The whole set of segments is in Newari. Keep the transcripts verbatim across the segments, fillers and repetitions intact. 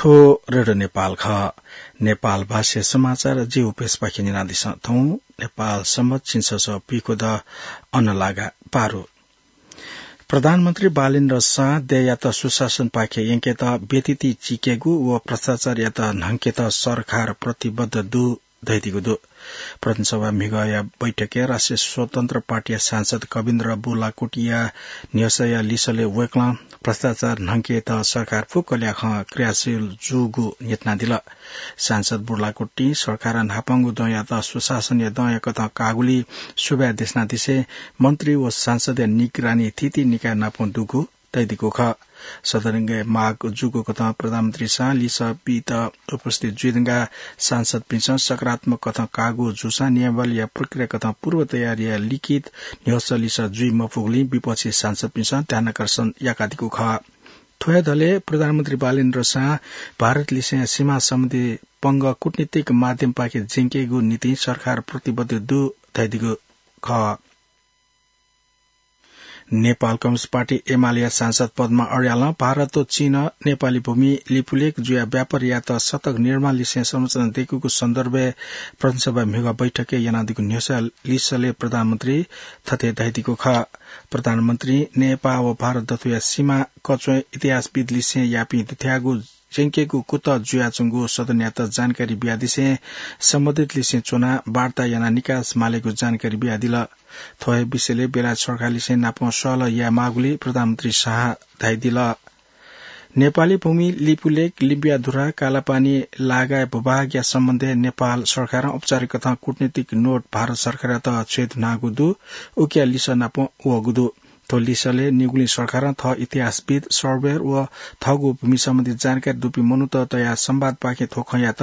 थ्व रेडियो नेपाल खः। नेपाल भाषा समाचार जि उपेशपाखें न्यनादिसँ। थौं नेपाल संवत् झिंछसः पीखुदँ अन्नलागा पारु। प्रधानमन्त्री बालेन्द्र शाह देय्‌यात सुशासनपाखे यंकेत व्यथिति चिकेगु व भ्रष्टाचारयात न्हंकेत सरकार प्रतिबद्ध दु धयादीगु दु। प्रतिनिधि सभा म्हिगःया बैठकय् राष्ट्रिय स्वतन्त्र पार्टीया सांसद कविन्द्र बुर्लाकोटीया न्ह्यसःया लिसलय् वय्‌कलं भ्रष्टाचार न्हंकेत सरकार फुक्क ल्याखं क्रियाशील जूगु न्ह्यथनादिल। सांसद बुर्लाकोटीं सरकारं न्हापांगु दँयात सुशासनया दँया कथं काःगुलिइ सुभाय् देछानादिसें मन्त्री व सांसदया निगरानी थीथी निकाय नाप दुगु धयादीगु खः। सदनय् माग जूगु कथं प्रधानमन्त्री शाहं लिसः बीत उपस्थित जुइधुंकाः सांसदपिन्सं सकारात्मक कथं काःगु जूसां नियमावलीया प्रक्रिया कथं पूर्व तयारीया लिखित न्ह्यसः लिसः जुइ मफुगुलिं विपक्षी सांसदपिन्सं ध्यानाकर्षण याकादीगु खः। थ्व हे दलय् प्रधानमन्त्री बालेन्द्र शाह भारत लिसें सीमा सम्बन्धी पंगः कूटनीतिक माध्यमपाखे ज्यंकेगु निंतिं सरकार प्रतिबद्ध दु धयादीगु खः। नेपाल कम्युनिस्ट पार्टी एमालेया सांसद पद्मा अर्यालं भारत व चीनं नेपाली भूमि लिपुलेख जुयाः व्यापार यात सतक निर्माण लिसें संरचना दय्‌कूगु सन्दर्भय् प्रतिनिधि सभा म्हिगः बैठकय् यानादीगु न्ह्यसः लिसलय् प्रधानमन्त्री थथे धयादीगु खः। प्रधानमन्त्रीं नेपाः व भारत दथुया सीमा कच्वय् इतिहासविद लिसें यापिं दुथ्याःगु ज्यंकेगु कुतः जुयाच्वंगु सदनयात जानकारी बियादिसें सम्बन्धित लिसें च्वनाः वार्ता यानाः निकास मालेगु जानकारी बियादिल। थ्व हे विषयलय् बेलायत सरकार लिसें नापं सहलह यायेमाःगुलिइ प्रधानमन्त्री शाहं धयादिल। नेपाली भूमि लिपुलेख, लिम्बिया धुरा, कालापानी लागाय् भूभागया सम्बन्धय् नेपाल सरकारं औपचारिक कथं कूटनीतिक नोट भारत सरकारयात छ्वये धुनागु दु। उकिया लिसः नापं वःगु दु। थ्व लिसलय् निगुलिं सरकारं थः इतिहासविद, सर्वेयर व थःगु भूमि सम्बन्धी जानकारी दुपिं मनूत तयाः संवादपाखें थ्व खँयात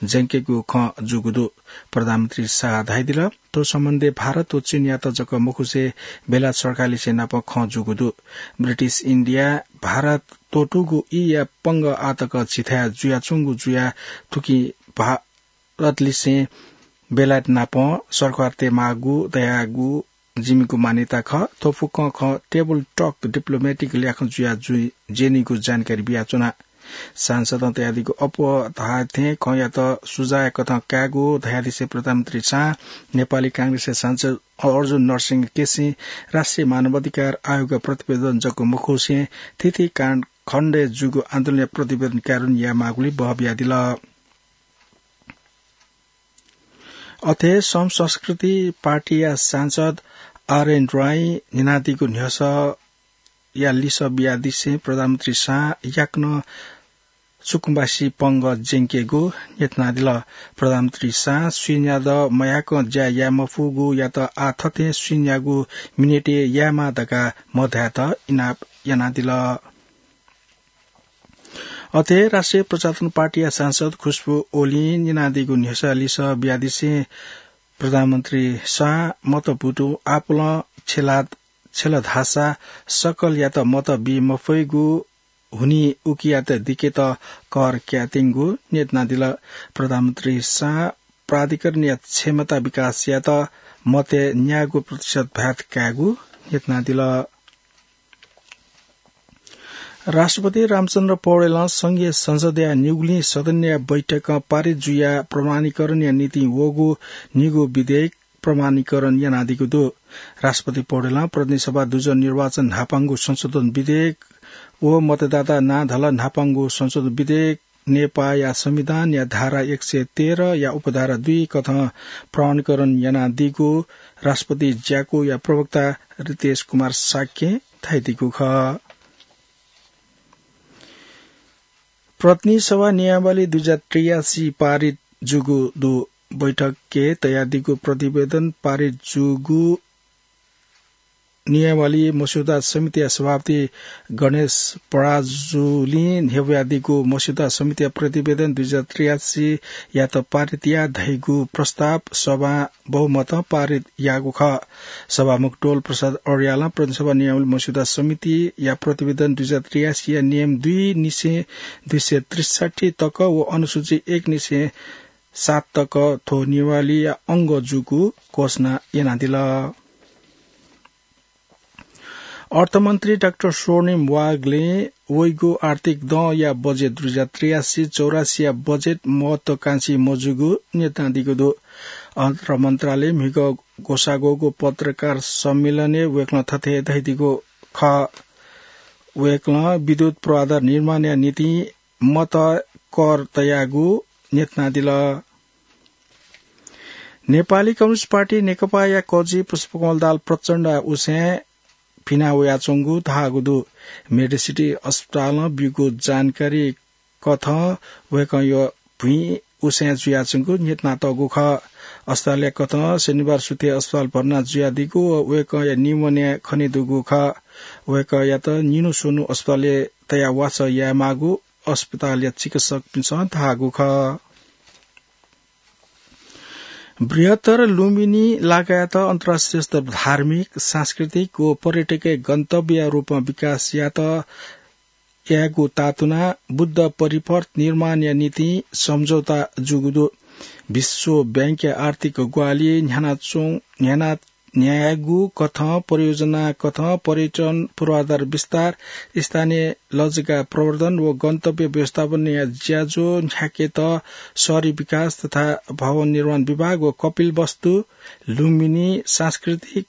ज्यंकेगु खँ जूगु दु। प्रधानमन्त्री शाहं धयादिल, थ्व सम्बन्धय् भारत व चीनयात जक मखुसें बेलायत सरकारलिसें नाप खँ जूगु दु। ब्रिटिश इन्डियां भारत त्वःतूगु ईया पंगः आःतक झीथाय् जुयाच्वंगु जुयाः थुकिं भारतलिसें बेलायत नाप सरकार तयेमाःगु धयागु जिमिगु मान्यता खः। थ्व फुक्कं खँ टेबल टक डिप्लोमेटिक ल्याखं जुयाः ज्यनीगु जानकारी बियाच्वना। सांसदं तयादीगु अप्वः धाःथें खँयात सुझावया कथं कायेगु धयादिसें प्रधानमन्त्री शाहं नेपाली कांग्रेसया सांसद अर्जुन नरसिंह केसीं राष्ट्रिय मानवाधिकार आयोगया प्रतिवेदन जक मखुसें थीथी कालखण्डय् जूगु आन्दोलनया प्रतिवेदन कार्यान्वयन यायेमाःगुलिइ बहः बियादिल। अथे सम संस्कृति पार्टीया सांसद आरएन राईं न्यनादीगु न्ह्यसःया लिसः बियादिसें प्रधानमन्त्री शाहं याकनं सुकुम्बासी पंगः ज्यंकेगु न्ह्यथनादिल। प्रधानमन्त्री शाहं सुइन्यादँ मयाकं ज्या याये मफुगुयात आः थथें सुइन्यागु मिनेटय् यायेमाः धकाः मधायेत इनाप यानादिल। अथे राष्ट्रिय प्रजातन्त्र पार्टीया सांसद खुशबु ओलीं न्यनादीगु न्ह्यसःया लिसः बियादिसें प्रधानमन्त्री शाहं मत बुतुं आपालं छेला छेल धाःसा सकलयात मत बी मफइगु हुनिं उकियात दिकेत कर क्यायेत्यंगु न्ह्यथनादिल। प्रधानमन्त्री शाहं प्राधिकरणया क्षमता विकास यायेत मतय् न्यागू प्रतिशत भ्याट कायेगु न्ह्यथनादिल। राष्ट्रपति रामचन्द्र पौडेलं संघीय संसदया निगुलिं सदनया बैठकं पारित जुयाः प्रमाणीकरणया निंतिं वःगु निगू विधेयक प्रमाणीकरण यानादीगु दु। राष्ट्रपति पौडेलं प्रतिनिधि सभा दुजः निर्वाचन न्हापांगु संशोधन विधेयक व मतदाता नां धलः न्हापांगु संशोधन विधेयक नेपाःया संविधानया धारा एक सय तेह्रया उपधारा दुई कथं प्रमाणीकरण यानादीगु राष्ट्रपति ज्याकुया प्रवक्ता रितेश कुमार शाक्यं धयादीगु खः। प्रतिनिधि सभा नियमावली दुई हजार त्रियासी पारित जूगु दु। बैठकय् तयादीगु प्रतिवेदन पारित जूगु नियमावली मस्यौदा समितिया सभापति गणेश पराजुलीं न्ह्यब्वयादीगु मस्यौदा समितिया प्रतिवेदन दुई हजार त्रियासीयात पारित या धइगु प्रस्ताव सभां बहुमतं पारित याःगु खः। सभामुख डोल प्रसाद अर्यालं प्रतिनिधि सभा नियमावली मस्यौदा समितिया प्रतिवेदन दुई हजार त्रियासीया नियम दुई निसें दुई सय त्रिसठी तक व अनुसूची एक निसें सात तक थ्व नियमावलीया अंग जूगु घोषणा यानादिल। अर्थमन्त्री डाक्टर स्वर्णिम वाग्लें वइगु आर्थिक दँया बजेट दुई हजार त्रियासी चौरासीया बजेट महत्वाकांक्षी मजूगु न्यनादीगु दु। अर्थ मन्त्रालय म्हिगः ग्वसाः ग्वःगु पत्रकार सम्मेलनय् वय्कलं थथे धयादीगु खः। वय्कलं विद्युत पूर्वाधार निर्माणया निंतिं मत कर तयागु न्यनादिल। नेपाली कम्युनिस्ट पार्टी नेकपाया कजि पुष्पकमल दाहाल प्रचण्ड उसय् पिना वयाच्वंगु धाःगु दु। मेडिसिटी अस्पतालं ब्यूगु जानकारी कथं वय्कःया भुइँ उसय् जुयाच्वंगु न्यनातःगु खः। अस्पतालया कथं शनिबार सुथय् अस्पताल भर्ना जुयादीगु व वय्कःया निमन्याः खनेदुगु खः। वय्कःयात निन्हु स्वन्हु अस्पतालय् तयाः वासः यायेमाःगु अस्पतालया चिकित्सकपिन्सं धाःगु खः। बृहत्तर लुम्बिनी लागायत अन्तर्राष्ट्रिय स्तर धार्मिक, सांस्कृतिक व पर्यटकीय गन्तव्यया रूपमा विकास यात यायेगु तातुना बुद्ध परिपथ निर्माणया निंतिं सम्झौता जूगु दु। विश्व बैंकया आर्थिक ग्वाहालि न्ह्यानाच्वं-, न्ह्याना न्ह्यायेगु कथं परियोजना कथं पर्यटन पूर्वाधार विस्तार, स्थानीय लजगाः प्रवर्धन व गन्तव्य व्यवस्थापनया ज्याझ्वः न्ह्याकेत शहरी विकास तथा भवन निर्माण विभाग व कपिलवस्तु, लुम्बिनी, सांस्कृतिक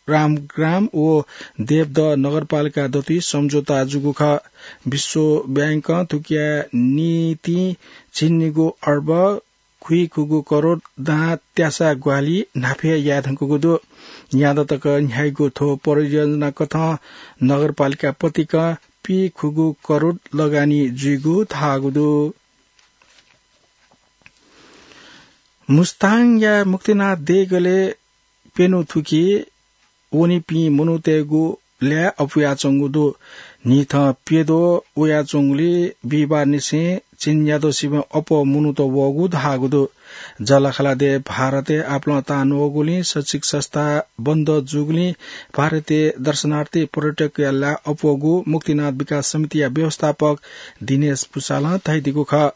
रामग्राम व देवदह नगरपालिका दथुइ सम्झौता जूगु खः। विश्व बैंकं थुकिया निंतिं झिंनिगू अर्ब खुइखुगू करोड दां त्यासा ग्वाहालि न्हापा हे याये धुंकूगु दु। न्यादँ तक न्ह्याइगु थ्व परियोजना कथं नगरपालिका पतिकं पीखुगू करोड लगानी जुइगु धाःगु दु। मुस्ताङया मुक्तिनाथ देगलय् प्यन्हु थुकी वनीपिं मनूतय्गु ल्याः अपुयाच्वंगु दु। न्हिथं प्यद्वः वयाच्वंगुलिं बिहिबारनिसें झिंन्यादँसिबें अप्वः मनूत वःगु धाःगु दु। जःलाखःला देय् भारतय् आपालं तान वःगुलिं शैक्षिक संस्था बन्द जूगुलिं भारतीय दर्शनार्थी पर्यटकया ल्याः अप्वःगु मुक्तिनाथ विकास समितिया व्यवस्थापक दिनेश भुसालं धयादीगु खः।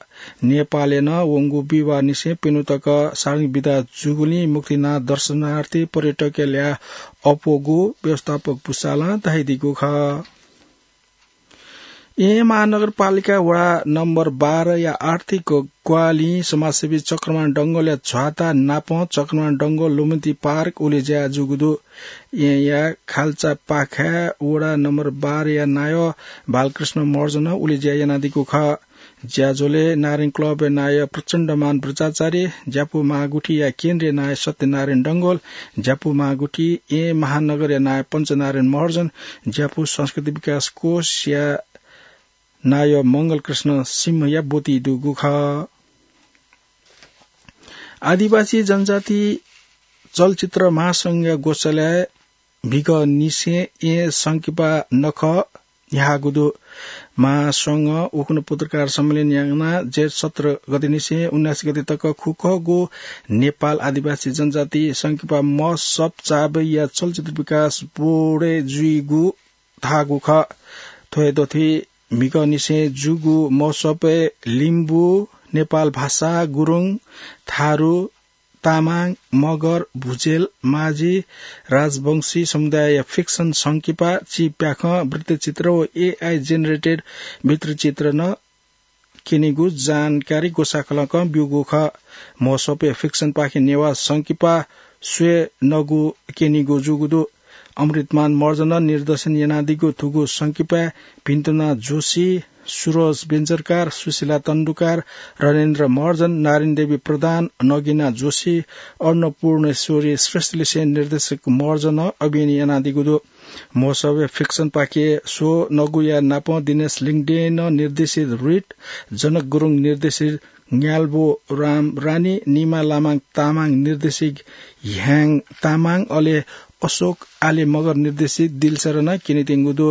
नेपालय् नं वंगु बिहिबारनिसें प्यन्हु तक सार्वजनिक बिदा जूगुलिं मुक्तिनाथ दर्शनार्थी पर्यटकया ल्याः अप्वःगु व्यवस्थापक भुसालं धयादीगु खः। येँ महानगरपालिका वडा नम्बर बाह्रया आर्थिक ग्वाहालिं समाजसेवी चक्रमान डंगोलया झ्वाता नापं चक्रमान डंगोल लुमन्ति पार्क उलेज्या जूगु दु। येँया खाल्चापाखाय् वडा नम्बर बाह्रया नायः बालकृष्ण महर्जनं उलेज्या यानादीगु खः। ज्याझ्वलय् नारायण क्लबया नायः प्रचण्डमान बज्राचार्य, ज्यापु महागुथिया केन्द्रीय नायः सत्यनारायण डंगोल, ज्यापु महागुथि येँ महानगरया नायः पञ्चनारायण महर्जन, ज्यापु संस्कृति विकास कोषया नायः मंगलकृष्ण सिंहया ब्वति दुगु खः। आदिवासी जनजाति चलचित्र महासंघया ग्वसालय् म्हिगःनिसें येँ संकिपा नखः न्ह्याःगु दु। महासंघं उखुन्हु पत्रकार सम्मेलन यानाः जेठ सत्र गतेनिसें उन्नाइस गते तक खुखःगु नेपाल आदिवासी जनजाति संकिपा महोत्सव चाबैया चलचित्र विकास बोर्डय् जुइगु धाःगु खः। थ्व हे दथुइ म्हिगःनिसें जूगु महोत्सवय् लिम्बू, नेपाल भाषा गुरुङ, थारु, तामाङ, मगर, भुजेल, माझी, राजवंशी समुदायया फिक्सन संकिपा, चिप्याखं वृत्तचित्र व एआई जेनेरेटेड वृत्तचित्र नं क्यनीगु जानकारी ग्वसाःखलकं ब्यूगु खः। महोत्सवय् फिक्सनपाखें नेवाः संकिपा स्वये नगु क्यनीगु जूगु दु। अमृतमान महर्जनं निर्देशन यानादीगु थुगु संकिपाय् भिन्तुना जोशी, सुरज बेन्जरकार, सुशीला तण्डुकार, रणेन्द्र महर्जन, नारायण देवी प्रधान, नगिना जोशी, अन्नपूर्णेश्वरी श्रेष्ठलिसें निर्देशक महर्जनं अभिनय यानादीगु दु। महोत्सवय् फिक्सनपाखें स्व नगुया नापं दिनेश लिङदेनं निर्देशित रिट, जनक गुरुङ निर्देशित न्याल्बो राम रानी, निमा लामाङ तामाङ निर्देशित ह्याङ तामाङ, अले अशोक आले मगर निर्देशित दिलसरना क्यनेत्यंगु दु।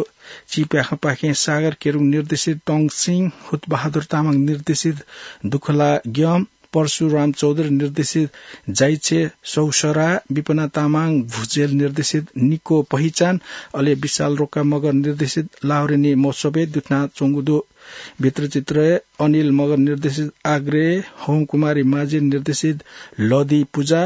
चिप्याखंपाखें सागर केरुङ निर्देशित टोङसिङ, हुतबहादुर तामाङ निर्देशित दुखला ग्यम, परशुराम चौधरी निर्देशित जाइछे सौसरा, विपना तामाङ भुजेल निर्देशित निको पहिचान, अले विशाल रोका मगर निर्देशित लाहुरेनी महोत्सवय् दुथ्यानाच्वंगु दु। वृत्तचित्रय् अनिल मगर निर्देशित आग्रे, होमकुमारी माझी निर्देशित लदी पुजा,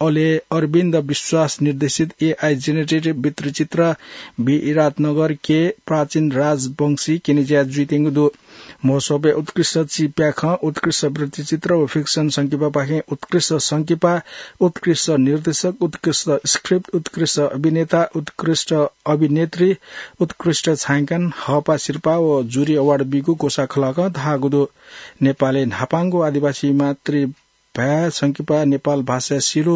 अले अरविन्द विश्वास निर्देशित एआई जेनेरेटेड वृत्तचित्र विराटनगर के प्राचीन राजवंशी केनेज्या जुइत्यंगु दु। महोत्सवय् उत्कृष्ट चिप्याखं, उत्कृष्ट वृत्तचित्र व फिक्सन संकिपापाखें उत्कृष्ट संकिपा, उत्कृष्ट निर्देशक, उत्कृष्ट स्क्रिप्ट, उत्कृष्ट अभिनेता, उत्कृष्ट अभिनेत्री, उत्कृष्ट छायांकन, हःपाः सिरपाः व जुरी अवार्ड बीगु ग्वसाः खलकं धाःगु दु। नेपालय् न्हापांगु आदिवासी मातृभाय् संकिपा नेपाल भाषा सिलु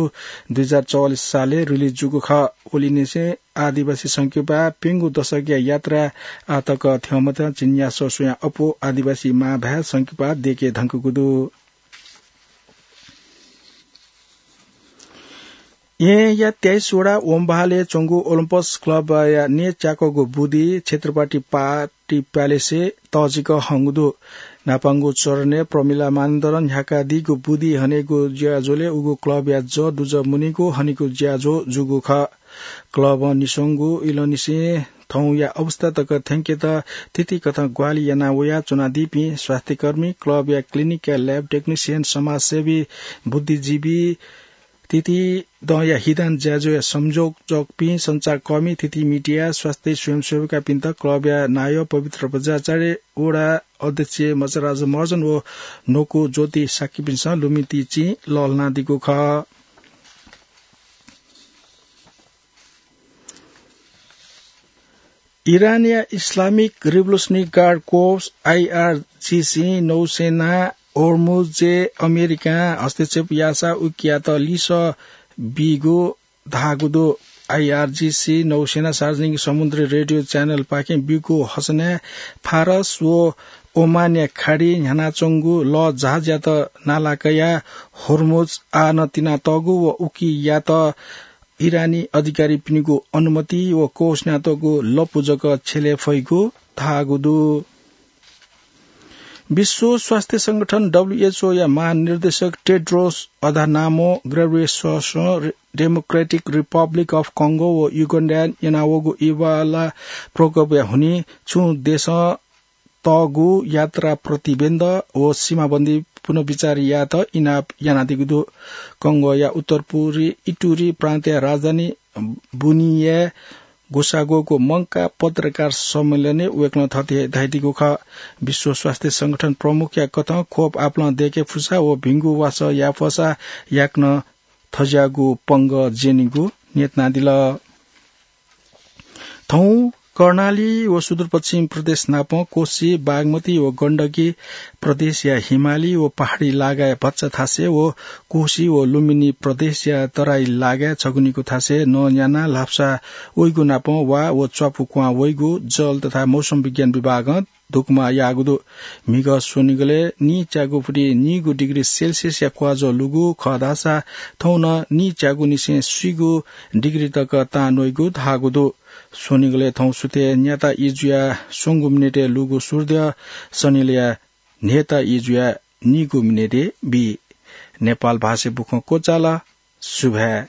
दुई हजार चौवालिस सालय् रिलिज जूगु खः। ओलिनिसें आदिवासी संकिपा प्यंगू दशकया यात्रा आतक थ्यंमत। चिन्यासः स्वयां अप्वः आदिवासी मांभाय् संकिपा देके धंकूगु दु। येँया तेइस वडा ओम्बाहालय् च्वंगु ओलम्पस क्लबया न्येच्याकःगु बुदी छत्रपति पार्टी प्यालेसय् तःजिक हंगु दु। न्हापांगु चरणय् प्रमिला मानन्धरं न्ह्याकादीगु बुदी हनेगु ज्याझ्वलय् उगु क्लबया जः दुजः मुनीगु हनेगु ज्याझ्वः जूगु खः। क्लबं निस्वंगु इलंनिसें थौंया अवस्था तक थ्यंकेत थीथी कथं ग्वाहालि याना वया च्वनादीपिं स्वास्थ्यकर्मी, क्लबया क्लिनिकया ल्याब टेक्निसियन, समाजसेवी, बुद्धिजीवी, थीथी दँया हिदान ज्याझ्वःया संयोजकपिं, सञ्चारकर्मी, थीथी मिडिया, स्वास्थ्य स्वयंसेविकापिन्त क्लबया नायः पवित्र बज्राचार्य, वडा अध्यक्ष मचाराज महर्जन व न्वकू ज्योति शाक्यपिन्सं लुमन्ति चिं लःल्हानादीगु खः। इरानया इस्लामिक रिभोल्युसनरी गार्ड कोर्प्स, आइआरजीसी, नौसेनां होर्मुजय् अमेरिकां हस्तक्षेप याःसा उकियात लिसः बीगु धाःगु दु। आइआरजीसी नौसेनां सार्वजनिक समुद्री रेडियो च्यानलपाखें ब्यूगु हसनय् फारस व ओमानया खाडी न्ह्यानाच्वंगु लःजहाजयात नाला कयाः होर्मुज आः नं तिनातःगु व उकियात इरानी अधिकारीपिनिगु अनुमति व कोर्स न्यातःगु लँपु जक छ्यले फइगु धाःगु दु। विश्व स्वास्थ्य संगठन, डब्ल्यूएचओ, या महानिर्देशक टेड्रोस अधानामो ग्रेब्रेससं डेमोक्रेटिक रिपब्लिक अफ कङ्गो व युगान्डाय् यानावःगु इबोला प्रकोपया हुनिं छुं देशं तःगु यात्रा प्रतिबन्ध व सीमाबन्दी पुनर्विचार यायेत इनाप यानादीगु दु। कङ्गोया उत्तरपुरी इटुरी प्रान्तया राजधानी बुनियाय् ग्वसाः ग्वःगु मंकाः पत्रकार सम्मेलनय् वय्कलं थथे धयादीगु खः। विश्व स्वास्थ्य संगठन प्रमुखया कथं खोप आपालं दय्के फुसा व भिंगु वासः याये फसा याकनं थज्याःगु पंगः ज्यनीगु न्यनादिल। थौं कर्णाली व सुदूरपश्चिम प्रदेश नापं कोशी, बागमती व गण्डकी प्रदेशया हिमाली व पहाडी लागाया भचा थासय् व कोशी व लुम्बिनी प्रदेशया तराई लागाय् छगू निगू थासय् नँ न्यानाः ल्हापसा वइगु नापं वा व च्वापु क्वहां वइगु जल तथा मौसम विज्ञान विभागं धुकुमा याःगु दु। म्हिगः स्वनिगलय् नीच्यागु फुति नीगू डिग्री सेल्सियसया क्वाजः लूगु खः धाःसा थौं नं नीच्यागुनिसें स्वीगू डिग्री तक तां न्वइगु धाःगु दु। स्वनिगलय् थौं सुथय् न्याता ई जुयाः स्वंगू मिनेटय् लूगु सूर्य सनिलय् न्हय्ता ई जुयाः नीगू मिनेटय् बी। नेपाल भाषाय् बुखँ क्वचाल। सुभाय्।